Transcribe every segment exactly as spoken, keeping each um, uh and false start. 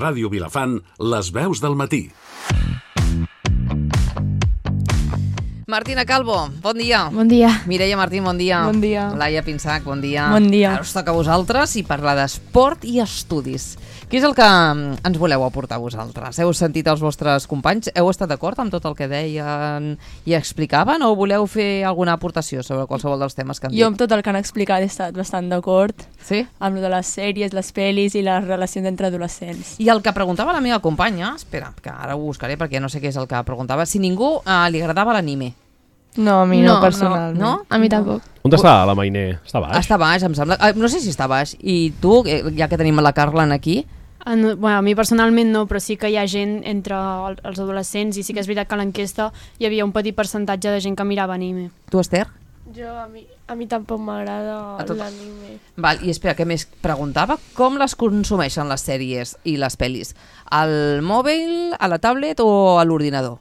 Ràdio Vilafant, les veus del matí. Martina Calvo, bon dia. Bon dia. Mireia Martín, bon dia. Bon dia. Laia Pinsac, bon dia. Bon dia. Ara us toca a vosaltres i parlar d'esport i estudis. Què és el que ens voleu aportar vosaltres? Heu sentit els vostres companys? Heu estat d'acord amb tot el que deien i explicaven o voleu fer alguna aportació sobre qualsevol dels temes que han dit? Jo amb tot el que han explicat he estat bastant d'acord. Sí? Amb lo de les sèries, les pel·lis i les relacions entre adolescents. I el que preguntava la meva companya, espera, que ara ho buscaré perquè no sé què és el que preguntava, si ningú eh, li agradava l'anime. No, a mi no, No, personalment. No? A mi tampoc. On està la Mainé? Està baix? Està baix, em sembla. Eh, No sé si està baix. I tu, eh, ja que tenim la Carlen aquí, En, bueno, a mi personalment no, però sí que hi ha gent entre el, els adolescents i sí que és veritat que a l'enquesta hi havia un petit percentatge de gent que mirava anime. tu, Esther? Jo, a mi, a mi tampoc m'agrada A tot- l'anime. Val, i espera, què més preguntava? Com les consumeixen les sèries i les pel·lis? Al mòbil, a la tablet o a l'ordinador?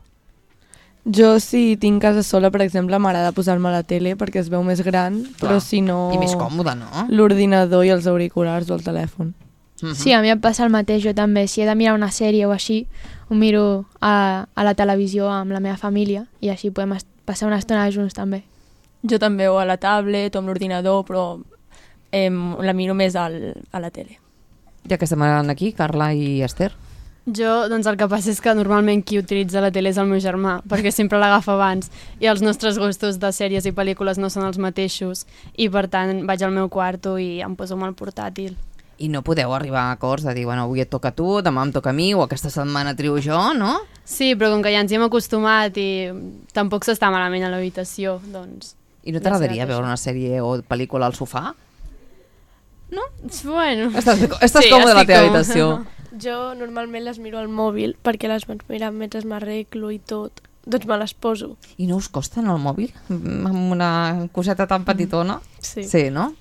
Jo, si tinc casa sola, per exemple, m'agrada posar-me a la tele perquè es veu més gran, Clar. però si no... I més còmode, no? L'ordinador i els auriculars o el telèfon. Mhm. Sí, a mi em passa el mateix, jo també. Si he de mirar una sèrie o així, ho miro a, a la televisió amb la meva família i així podem est- passar una estona junts també. Jo també o a la tablet o amb l'ordinador, però eh, la miro més al, a la tele. Ja que estem aquí, Carla i Esther. Jo, doncs el que passa és que normalment qui utilitza la tele és el meu germà, perquè sempre l'agafa abans i els nostres gustos de sèries i pel·lícules no són els mateixos i per tant vaig al meu quarto i em poso amb el portàtil. I no podeu arribar a acords de dir, bueno, avui et toca a tu, demà em toca a mi, o aquesta setmana trio jo, no? Sí, però com que ja ens hi hem acostumat i tampoc s'està malament a l'habitació, doncs... I no Ja t'agradaria serà veure això. una sèrie o pel·lícula al sofà? Bueno... Estàs, estàs Sí, còmode a la estic teva còmode. habitació. Jo normalment les miro al mòbil perquè les vaig mirar mentre m'arreglo i tot. Doncs me les poso. I no us costa en el mòbil? Mm, Amb una coseta tan petitona? Sí. Sí, no?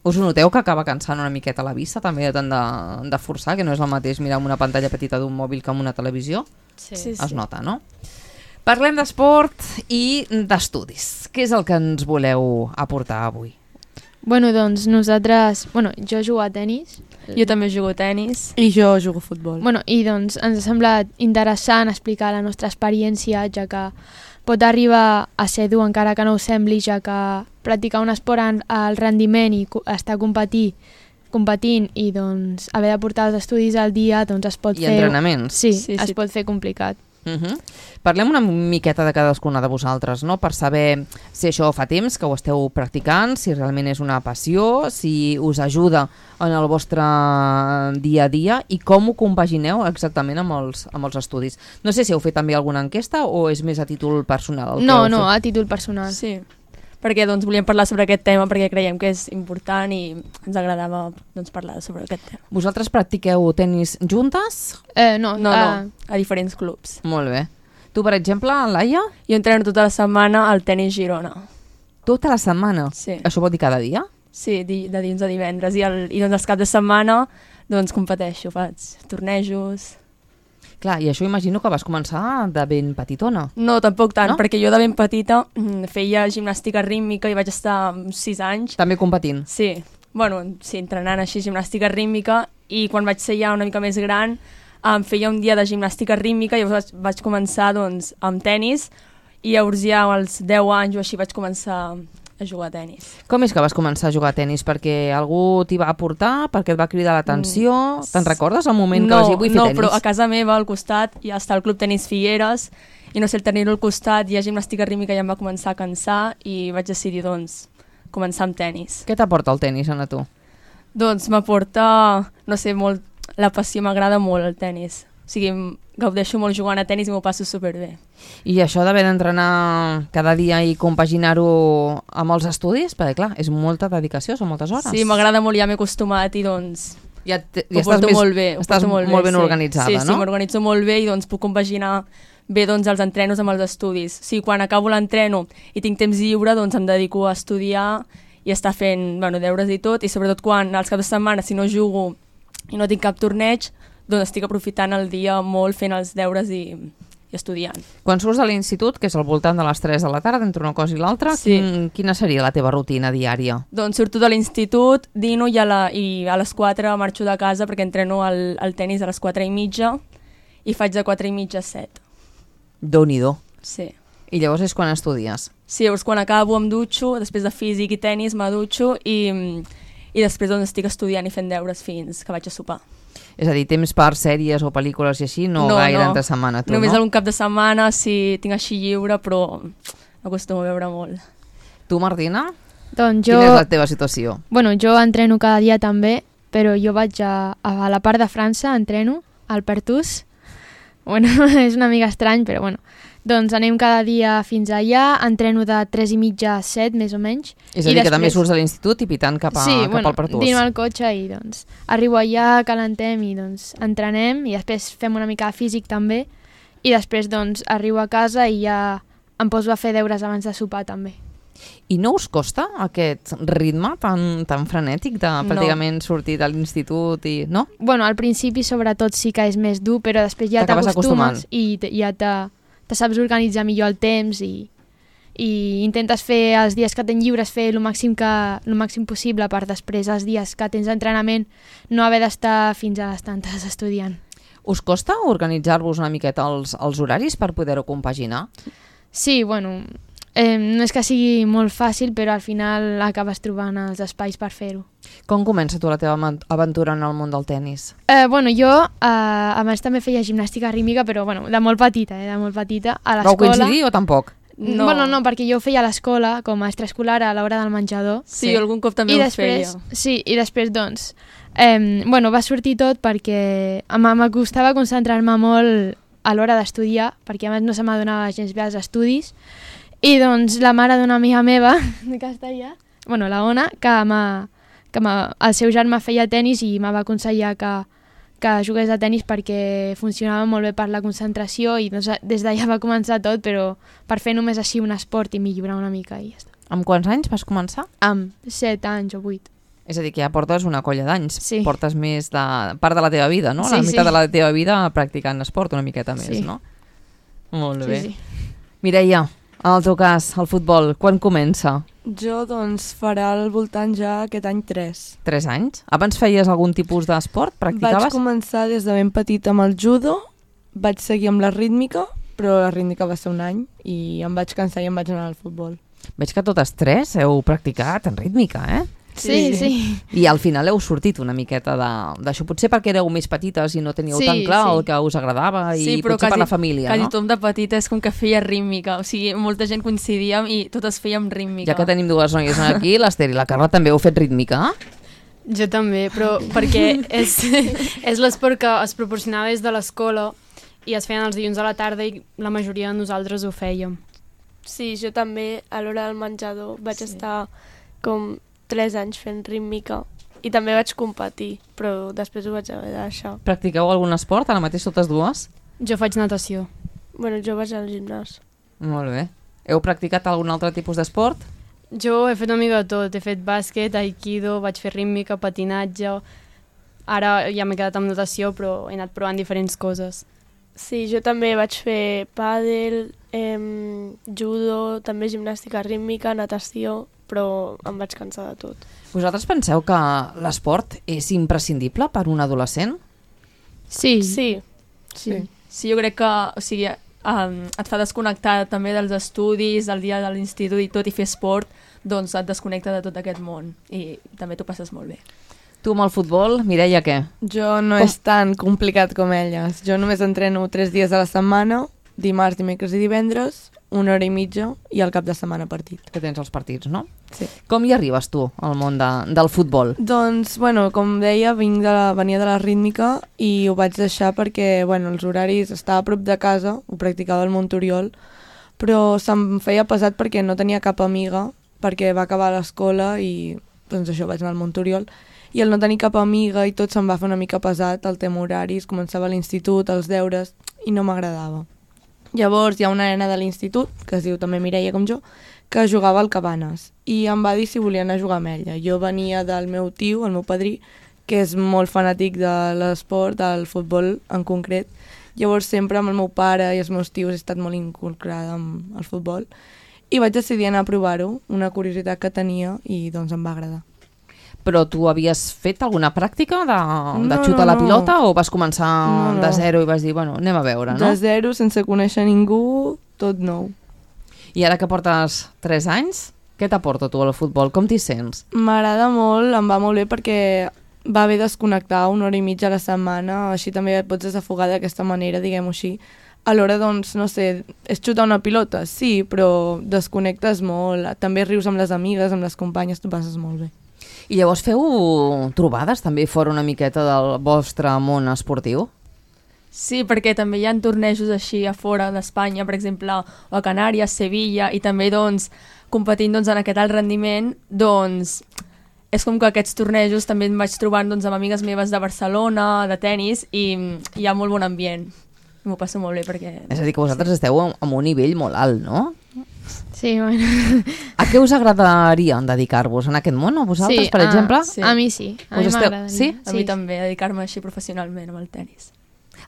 Us ho noteu que acaba cansant una miqueta la vista també de tant de, de forçar, que no és el mateix mirar amb una pantalla petita d'un mòbil que amb una televisió? Sí. Sí, Es nota, no? Parlem d'esport i d'estudis. Què és el que ens voleu aportar avui? Bueno, doncs nosaltres... Bueno, jo jugo a tennis. Jo també jugo a tennis. I jo jugo a futbol. Bueno, i doncs ens ha semblat interessant explicar la nostra experiència, ja que pot arribar a ser dur encara que no ho sembli, ja que practicar un esport en al rendiment i co- estar competint, competint i doncs haver de portar els estudis al dia doncs es pot I fer... entrenaments. Sí, Sí, sí, es sí. pot fer complicat. Uh -huh. Parlem una miqueta de cadascuna de vosaltres, no? Per saber si això fa temps que ho esteu practicant, si realment és una passió, si us ajuda en el vostre dia a dia i com ho compagineu exactament amb els, amb els estudis. No sé si heu fet també alguna enquesta o és més a títol personal. El que No, heu no, fet? a títol personal. Sí, perquè doncs, volíem parlar sobre aquest tema perquè creiem que és important i ens agradava doncs, parlar sobre aquest tema. Vosaltres practiqueu tennis juntes? Eh, no, No, ah, no, a diferents clubs. Molt bé. Tu, per exemple, Laia, Jo entreno tota la setmana al tenis Girona. tota la setmana? Sí. Això vol dir cada dia? Sí, di, de dilluns a divendres. I, el, i doncs els caps de setmana doncs competeixo, faig tornejos. Clar, i això imagino que vas començar de ben petitona. No, tampoc tant, No? no? perquè jo de ben petita mm, feia gimnàstica rítmica i vaig estar mm, sis anys. També competint. Sí, bueno, sí, entrenant així gimnàstica rítmica i quan vaig ser ja una mica més gran em feia un dia de gimnàstica rítmica i llavors vaig, vaig començar doncs, amb tennis i llavors ja als deu anys o així vaig començar a jugar a tennis. Com és que vas començar a jugar a tennis? Perquè algú t'hi va aportar? Perquè et va cridar l'atenció? Mm. Te'n recordes el moment que no, vas dir vull fer no, tennis? però a casa meva al costat ja està el Club Tenis Figueres i no sé, el tenir-ho al costat i a gimnàstica rítmica ja em va començar a cansar i vaig decidir doncs començar amb tennis. Què t'aporta el tennis, Anna, tu? Doncs m'aporta, no sé, molt, la passió, m'agrada molt el tennis. O sigui, em gaudeixo molt jugant a tennis i m'ho passo superbé. I això d'haver d'entrenar cada dia i compaginar-ho amb els estudis? Perquè, clar, és molta dedicació, són moltes hores. Sí, m'agrada molt, ja m'he acostumat i doncs Ja, te, ho ja estàs porto més, molt bé. Ho estàs porto molt, molt bé, ben sí. organitzada, sí, no? Sí, m'organitzo molt bé i doncs puc compaginar bé doncs, els entrenos amb els estudis. O sigui, quan acabo l'entreno i tinc temps lliure, doncs em dedico a estudiar i estar fent bueno, deures i tot, i sobretot quan als caps de setmana, si no jugo i no tinc cap torneig, doncs estic aprofitant el dia molt fent els deures i, i estudiant. Quan surts de l'institut, que és al voltant de les tres de la tarda, entre una cosa i l'altra, Sí. quin, quina seria la teva rutina diària? Doncs surto de l'institut, dino i a, la, i a les quatre marxo de casa perquè entreno al, al tennis a les quatre i mitja i faig de quatre i mitja a set. Déu-n'hi-do. Sí. I llavors és quan estudies? Sí, llavors quan acabo em dutxo, després de físic i tennis me dutxo i, i després doncs estic estudiant i fent deures fins que vaig a sopar. És a dir, temps per sèries o pel·lícules i així, no, no gaire no. entre setmana, tu, Només no? algun cap de setmana, si tinc així lliure, però acostumo a veure molt. Tu, Martina? Doncs jo... Quina és la teva situació? Bueno, jo entreno cada dia també, però jo vaig a, a la part de França, entreno, al Pertús. Bueno, és una mica estrany, però bueno. Doncs anem cada dia fins allà, entreno de tres i mitja a set, més o menys. És a dir, I després... que també surts de l'institut i pitant cap, a, sí, cap bueno, al Pertús. Sí, dino al cotxe i doncs arribo allà, calentem i doncs entrenem i després fem una mica de físic també i després doncs arribo a casa i ja em poso a fer deures abans de sopar també. I no us costa aquest ritme tan, tan frenètic de pràcticament no. sortir de l'institut i... no? Bueno, al principi sobretot sí que és més dur, però després ja t'acostumes i ja te, te saps organitzar millor el temps i, i intentes fer els dies que tens lliures fer el màxim, que, el màxim possible per després els dies que tens entrenament no haver d'estar fins a les tantes estudiant. Us costa organitzar-vos una miqueta els, els horaris per poder-ho compaginar? Sí, bueno... Eh, no és que sigui molt fàcil, però al final acabes trobant els espais per fer-ho. Com comença tu la teva aventura en el món del tennis? Eh, bueno, jo eh, abans també feia gimnàstica rítmica, però bueno, de molt petita, eh, de molt petita, a l'escola. Vau coincidir o tampoc? No. Bueno, no, perquè jo ho feia a l'escola, com a extraescolar a l'hora del menjador. Sí, sí, algun cop també I ho després, feia. Sí, i després, doncs, eh, bueno, va sortir tot perquè m'acostava concentrar-me molt a l'hora d'estudiar, perquè a més no se m'adonava gens bé els estudis. I doncs la mare d'una amiga meva de Castellà, bueno, la Ona, que, que el seu germà feia tennis i me va aconsellar que, que jugués a tennis perquè funcionava molt bé per la concentració i doncs, des d'allà va començar tot, però per fer només així un esport i millorar una mica i ja està. Amb quants anys vas començar? Amb set anys o vuit. És a dir, que ja portes una colla d'anys. Sí. Portes més de part de la teva vida, no? Sí, la meitat sí. de la teva vida practicant esport, una miqueta més, sí. no? Molt sí, bé. Sí. Mireia, en el teu cas, el futbol, quan comença? Jo, doncs, farà al voltant ja aquest any tres. Tres anys? Abans feies algun tipus d'esport? Practicaves? Vaig començar des de ben petit amb el judo, vaig seguir amb la rítmica, però la rítmica va ser un any i em vaig cansar i em vaig anar al futbol. Veig que totes tres heu practicat en rítmica, eh? Sí, sí. I al final heu sortit una miqueta d'això, potser perquè éreu més petites i no teníeu sí, tan clar sí. el que us agradava i sí, potser quasi, per la família, quasi no? Quasi tothom de petita és com que feia rítmica, o sigui, molta gent coincidíem i totes fèiem rítmica. Ja que tenim dues noies aquí, l'Ester i la Carla també heu fet rítmica? Jo també, però perquè és, és l'esport que es proporcionava des de l'escola i es feien els dilluns a la tarda i la majoria de nosaltres ho fèiem. Sí, jo també a l'hora del menjador vaig sí. estar com tres anys fent rítmica i també vaig competir, però després ho vaig haver de deixar. Practiqueu algun esport, ara mateix totes dues? Jo faig natació. Bueno, jo vaig al gimnàs. Molt bé. Heu practicat algun altre tipus d'esport? Jo he fet una mica de tot, he fet bàsquet, aikido, vaig fer rítmica, patinatge, ara ja m'he quedat amb natació però he anat provant diferents coses. Sí, jo també vaig fer pàdel, eh, judo, també gimnàstica rítmica, natació, però em vaig cansar de tot. Vosaltres penseu que l'esport és imprescindible per un adolescent? Sí. Sí. Sí, sí jo crec que o sigui, um, et fa desconnectar també dels estudis, del dia de l'institut i tot, i fer esport, doncs et desconnecta de tot aquest món i també t'ho passes molt bé. Tu amb el futbol, Mireia, què? Jo no com? És tan complicat com elles. Jo només entreno tres dies a la setmana, dimarts, dimecres i divendres, una hora i mitja i al cap de setmana partit. Que tens els partits, no? Sí. Com hi arribes tu al món de, del futbol? Doncs, bueno, com deia, vinc de la, venia de la rítmica i ho vaig deixar perquè, bueno, els horaris estava a prop de casa, ho practicava al Montoriol, però se'm feia pesat perquè no tenia cap amiga, perquè va acabar l'escola i, doncs això, vaig anar al Montoriol, i el no tenir cap amiga i tot se'm va fer una mica pesat, el tema horaris, començava a l'institut, els deures, i no m'agradava. Llavors hi ha una nena de l'institut, que es diu també Mireia com jo, que jugava al Cabanes i em va dir si volia anar a jugar amb ella. Jo venia del meu tio, el meu padrí, que és molt fanàtic de l'esport, del futbol en concret, Llavors sempre amb el meu pare i els meus tios he estat molt inculcada amb el futbol i vaig decidir anar a provar-ho, una curiositat que tenia i doncs em va agradar. Però tu havies fet alguna pràctica de, de No, xutar no, la no. pilota o vas començar No, no. de zero i vas dir, bueno, anem a veure, no? De zero, sense conèixer ningú, tot nou. I ara que portes tres anys, què t'aporta tu al futbol? Com t'hi sents? M'agrada molt, em va molt bé perquè va bé desconnectar una hora i mitja a la setmana, així també et pots desafogar d'aquesta manera, diguem-ho així. Alhora, doncs, no sé, és xutar una pilota? Sí, però desconnectes molt, també rius amb les amigues, amb les companyes, t'ho passes molt bé. I llavors feu trobades també fora una miqueta del vostre món esportiu? Sí, perquè també hi ha tornejos així a fora d'Espanya, per exemple, o a Canàries, Sevilla, i també doncs, competint doncs, en aquest alt rendiment, doncs, és com que aquests tornejos també em vaig trobant doncs, amb amigues meves de Barcelona, de tennis, i hi ha molt bon ambient. M'ho passo molt bé perquè... És a dir, que vosaltres esteu amb un nivell molt alt, no? Sí, bueno. A què us agradaria dedicar-vos en aquest món, a vosaltres, Sí, per a- exemple? Sí. A mi sí, a Us mi esteu- m'agradaria. sí? A mi també, dedicar-me així professionalment amb el tennis.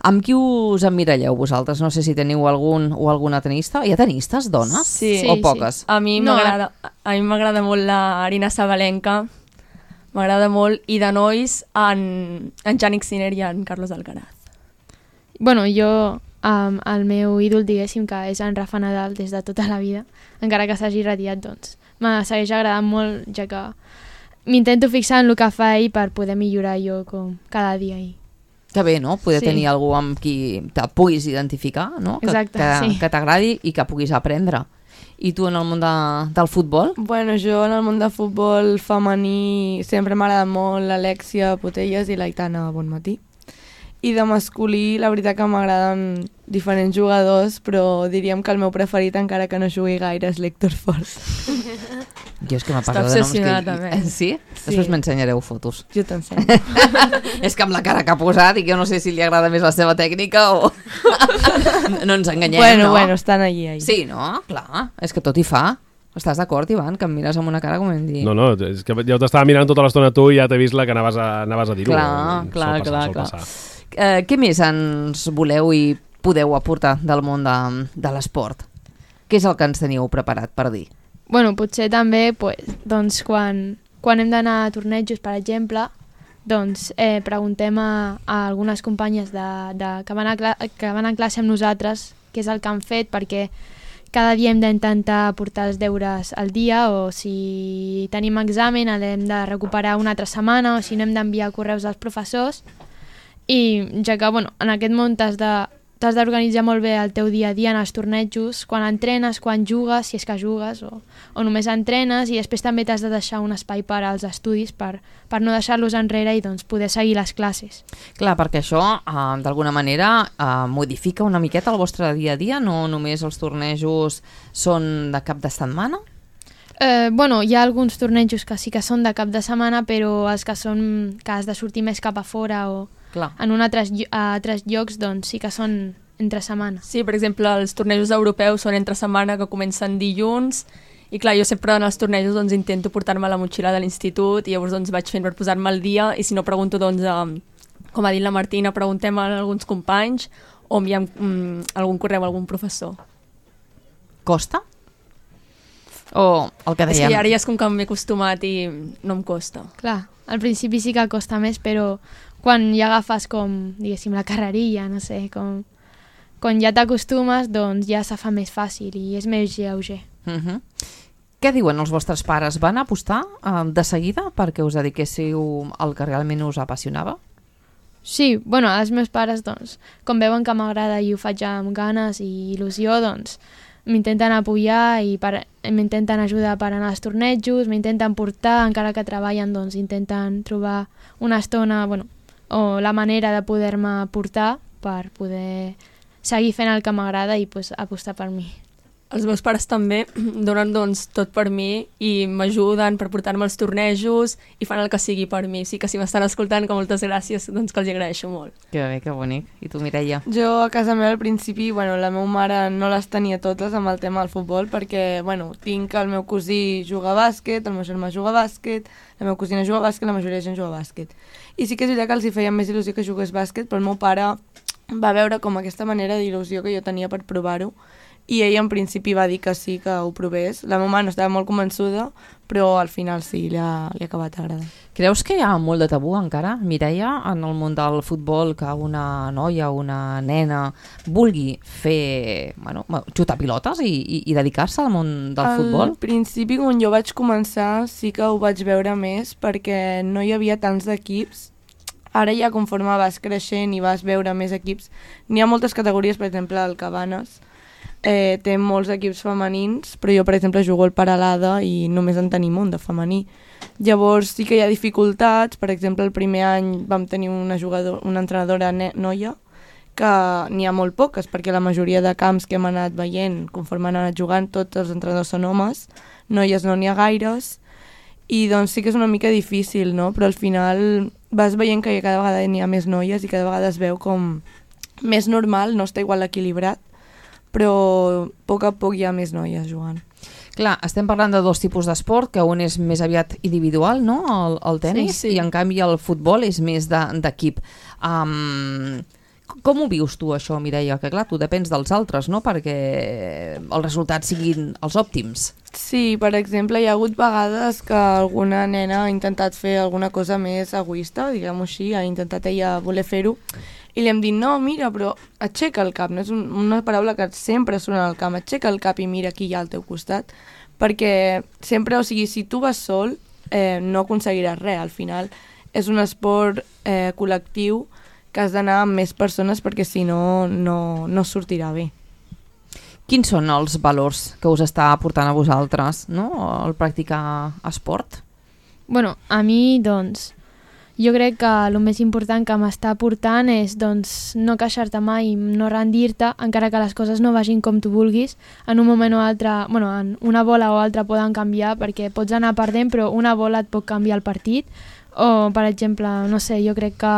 Amb qui us emmiralleu vosaltres? No sé si teniu algun o alguna tenista. Hi ha tenistes, dones? Sí. Sí, O sí. poques? A mi No, m'agrada a mi m'agrada molt la Arina Sabalenka, m'agrada molt, i de nois en, en Jannik Sinner i en Carlos Alcaraz. Bueno, jo, um, el meu ídol, diguéssim, que és en Rafa Nadal des de tota la vida, encara que s'hagi retirat, doncs, me segueix agradant molt, ja que m'intento fixar en el que fa ell per poder millorar jo com cada dia. I... Que bé, no? Poder Sí. tenir algú amb qui te puguis identificar, no? Que, Exacte, que, sí. que t'agradi i que puguis aprendre. I tu en el món de, del futbol? Bueno, jo en el món de futbol femení sempre m'ha agradat molt l'Alexia Potelles i l'Aitana Bonmatí. I de masculí, la veritat que m'agraden diferents jugadors, però diríem que el meu preferit, encara que no jugui gaire, és l'Héctor Fort. Jo és que m'ha Està passat de noms que... obsessionat, també. Eh, Sí? Després m'ensenyareu fotos. Jo t'ensenyo. És que amb la cara que ha posat i que jo no sé si li agrada més la seva tècnica o... no ens enganyem, bueno, no? bueno, estan allí, allí. Sí, no? Clar, és que tot hi fa. Estàs d'acord, Ivan? Que em mires amb una cara com hem dit... No, no, és que jo t'estava mirant tota l'estona tu i ja t'he vist la que anaves a, anaves a dir-ho. Clar, Sol clar, passar, clar, sol clar. passar. Eh, què més ens voleu i podeu aportar del món de, de l'esport? Què és el que ens teniu preparat per dir? Bueno, potser també, pues, doncs, quan, quan hem d'anar a tornejos, per exemple, doncs eh, preguntem a, a algunes companyes de, de, que, van a cla que van a classe amb nosaltres què és el que han fet, perquè cada dia hem d'intentar portar els deures al dia, o si tenim examen l'hem de recuperar una altra setmana, o si no hem d'enviar correus als professors. I ja que, bueno, en aquest món t'has de t'has d'organitzar molt bé el teu dia a dia en els tornejos, quan entrenes, quan jugues, si és que jugues, o, o només entrenes, i després també t'has de deixar un espai per als estudis per, per no deixar-los enrere i doncs, poder seguir les classes. Clar, perquè això, eh, d'alguna manera, eh, modifica una miqueta el vostre dia a dia? No només els tornejos són de cap de setmana? Eh, bueno, hi ha alguns tornejos que sí que són de cap de setmana, però els que són que has de sortir més cap a fora o Clar. en un altres, llo- a altres llocs, doncs sí que són entre setmana. Sí, per exemple, els tornejos europeus són entre setmana, que comencen dilluns, i clar, jo sempre en els tornejos doncs, intento portar-me la motxilla de l'institut, i llavors doncs, vaig fent per posar-me al dia, i si no pregunto, doncs, a, com ha dit la Martina, preguntem a alguns companys o enviem mm, algun correu a algun professor. Costa? O el que És que dèiem? ara ja és com que m'he acostumat i no em costa. Clar, al principi sí que costa més, però quan ja agafes com, diguéssim, la carrerilla, no sé, com... quan ja t'acostumes, doncs ja se fa més fàcil i és més lleuger. Uh -huh. Què diuen els vostres pares? Van apostar eh, de seguida perquè us dediquéssiu al que realment us apassionava? Sí, bueno, els meus pares, doncs, com veuen que m'agrada i ho faig amb ganes i il·lusió, doncs, m'intenten apoyar i per, m'intenten ajudar per anar als tornejos, m'intenten portar, encara que treballen, doncs, intenten trobar una estona, bueno, o la manera de poder-me portar per poder seguir fent el que m'agrada i pues, apostar per mi. Els meus pares també donen doncs, tot per mi i m'ajuden per portar-me als tornejos i fan el que sigui per mi. Sí que si m'estan escoltant, que moltes gràcies, doncs que els agraeixo molt. Que bé, que bonic. I tu, Mireia? Jo a casa meva al principi, bueno, la meva mare no les tenia totes amb el tema del futbol perquè, bueno, tinc el meu cosí juga a bàsquet, el meu germà juga a bàsquet, la meva cosina juga a bàsquet, la majoria de gent juga a bàsquet. I sí que és veritat que els hi feia més il·lusió que jugués bàsquet, però el meu pare va veure com aquesta manera d'il·lusió que jo tenia per provar-ho i ell en principi va dir que sí, que ho provés. La meva mare no estava molt convençuda, però al final sí, li ha, li ha acabat agradant. Creus que hi ha molt de tabú encara, Mireia, en el món del futbol, que una noia o una nena vulgui fer, bueno, xutar pilotes i, i, i dedicar-se al món del al futbol? Al principi, quan jo vaig començar, sí que ho vaig veure més perquè no hi havia tants d'equips. Ara ja conforme vas creixent i vas veure més equips, n'hi ha moltes categories, per exemple, el Cabanes, eh, té molts equips femenins, però jo, per exemple, jugo al Paralada i només en tenim un de femení. Llavors sí que hi ha dificultats, per exemple, el primer any vam tenir una, jugador, una entrenadora noia, que n'hi ha molt poques, perquè la majoria de camps que hem anat veient, conforme han anat jugant, tots els entrenadors són homes, noies no n'hi ha gaires, i doncs sí que és una mica difícil, no? Però al final vas veient que cada vegada n'hi ha més noies i cada vegada es veu com més normal, no està igual equilibrat, però a poc a poc hi ha més noies jugant. Clar, estem parlant de dos tipus d'esport, que un és més aviat individual, no?, el, el tenis, sí, sí. I en canvi el futbol és més d'equip. De, um, com ho vius tu, això, Mireia? Que clar, tu depens dels altres, no?, perquè els resultats siguin els òptims. Sí, per exemple, hi ha hagut vegades que alguna nena ha intentat fer alguna cosa més egoista, diguem-ho així, ha intentat ella voler fer-ho, i li hem dit, no, mira, però aixeca el cap, no és un, una paraula que sempre sona al camp, aixeca el cap i mira qui hi ha al teu costat, perquè sempre, o sigui, si tu vas sol, eh, no aconseguiràs res, al final és un esport eh, col·lectiu que has d'anar amb més persones perquè si no, no, no sortirà bé. Quins són els valors que us està aportant a vosaltres, no?, el practicar esport? Bueno, a mi, doncs, jo crec que el més important que m'està aportant és doncs, no queixar-te mai, no rendir-te, encara que les coses no vagin com tu vulguis. En un moment o altre, bueno, en una bola o altra poden canviar, perquè pots anar perdent, però una bola et pot canviar el partit. O, per exemple, no sé, jo crec que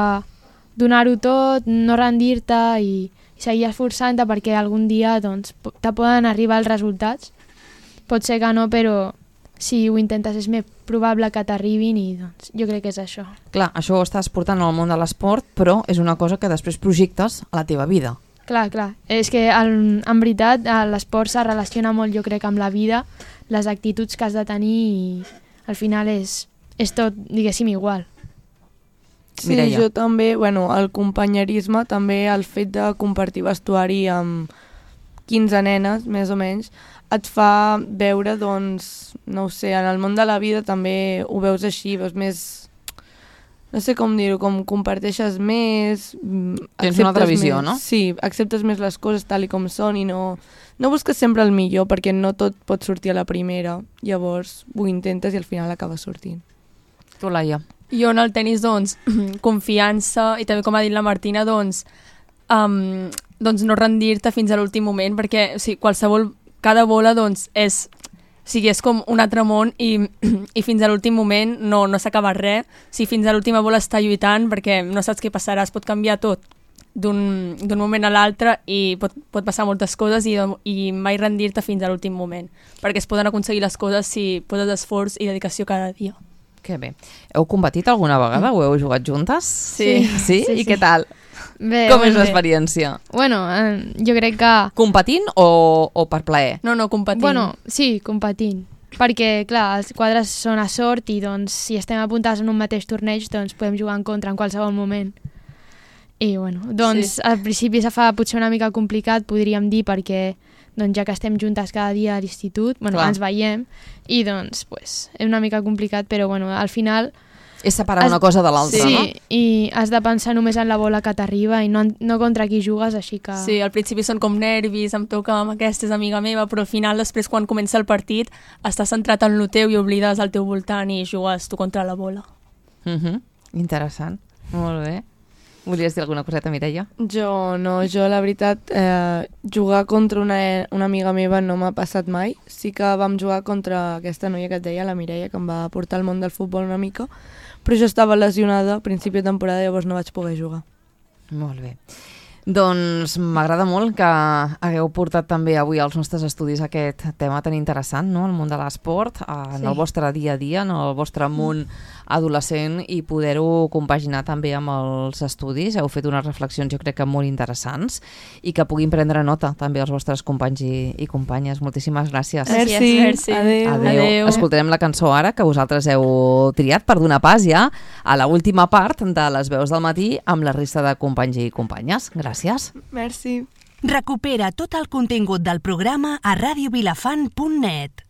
donar-ho tot, no rendir-te i, i seguir esforçant-te perquè algun dia doncs, te poden arribar els resultats. Pot ser que no, però si ho intentes és més probable que t'arribin i doncs, jo crec que és això. Clar, això ho estàs portant al món de l'esport, però és una cosa que després projectes a la teva vida. Clar, clar. És que el, en veritat l'esport se relaciona molt, jo crec, amb la vida, les actituds que has de tenir i al final és, és tot, diguéssim, igual. Sí, Mireia. Jo també, bueno, el companyerisme, també el fet de compartir vestuari amb quinze nenes, més o menys, et fa veure, doncs, no ho sé, en el món de la vida també ho veus així, veus més, no sé com dir-ho, com comparteixes més... Tens una altra visió, més, no? Sí, acceptes més les coses tal i com són i no, no busques sempre el millor perquè no tot pot sortir a la primera, llavors ho intentes i al final acaba sortint. Tu, Laia? Jo en el tenis, doncs, confiança i també, com ha dit la Martina, doncs, um, doncs no rendir-te fins a l'últim moment perquè o sigui, qualsevol cada bola doncs, és, o sigui, és com un altre món i, i fins a l'últim moment no, no s'acaba res. Si fins a l'última bola està lluitant perquè no saps què passarà, es pot canviar tot d'un moment a l'altre i pot, pot passar moltes coses i, i mai rendir-te fins a l'últim moment perquè es poden aconseguir les coses si poses esforç i dedicació cada dia. Que bé. Heu competit alguna vegada? Ho heu jugat juntes? Sí. Sí? sí, sí I sí. què tal? Bé, Com és bé. l'experiència? Bueno, eh, jo crec que... Competint o, o per plaer? No, no, competint. Bueno, sí, competint. Perquè, clar, els quadres són a sort i doncs, si estem apuntats en un mateix torneig, doncs podem jugar en contra en qualsevol moment. I, bueno, doncs sí. Al principi se fa potser una mica complicat, podríem dir, perquè doncs, ja que estem juntes cada dia a l'institut, bueno, ens veiem, i doncs, pues, és una mica complicat, però bueno, al final... És separar has, una cosa de l'altra, sí, no? Sí, i has de pensar només en la bola que t'arriba i no, no contra qui jugues, així que... Sí, al principi són com nervis, em toca amb aquesta, és amiga meva, però al final, després, quan comença el partit, estàs centrat en el teu i oblides al teu voltant i jugues tu contra la bola. Uh-huh. Interessant, molt bé. Volies dir alguna coseta, Mireia? Jo no, jo la veritat, eh, jugar contra una, una amiga meva no m'ha passat mai. Sí que vam jugar contra aquesta noia que et deia, la Mireia, que em va portar al món del futbol una mica, però jo estava lesionada a principi de temporada, llavors no vaig poder jugar. Molt bé. Doncs m'agrada molt que hagueu portat també avui als nostres estudis aquest tema tan interessant, no? El món de l'esport, en sí. el vostre dia a dia, en el vostre món adolescent, i poder-ho compaginar també amb els estudis. Heu fet unes reflexions jo crec que molt interessants i que puguin prendre nota també els vostres companys i, i companyes. Moltíssimes gràcies. Merci, merci. Adéu. Adéu. Adéu. Escoltarem la cançó ara que vosaltres heu triat per donar pas ja a la última part de les veus del matí amb la resta de companys i companyes. Gràcies. Merci. Recupera tot el contingut del programa a radio vilafant punt net.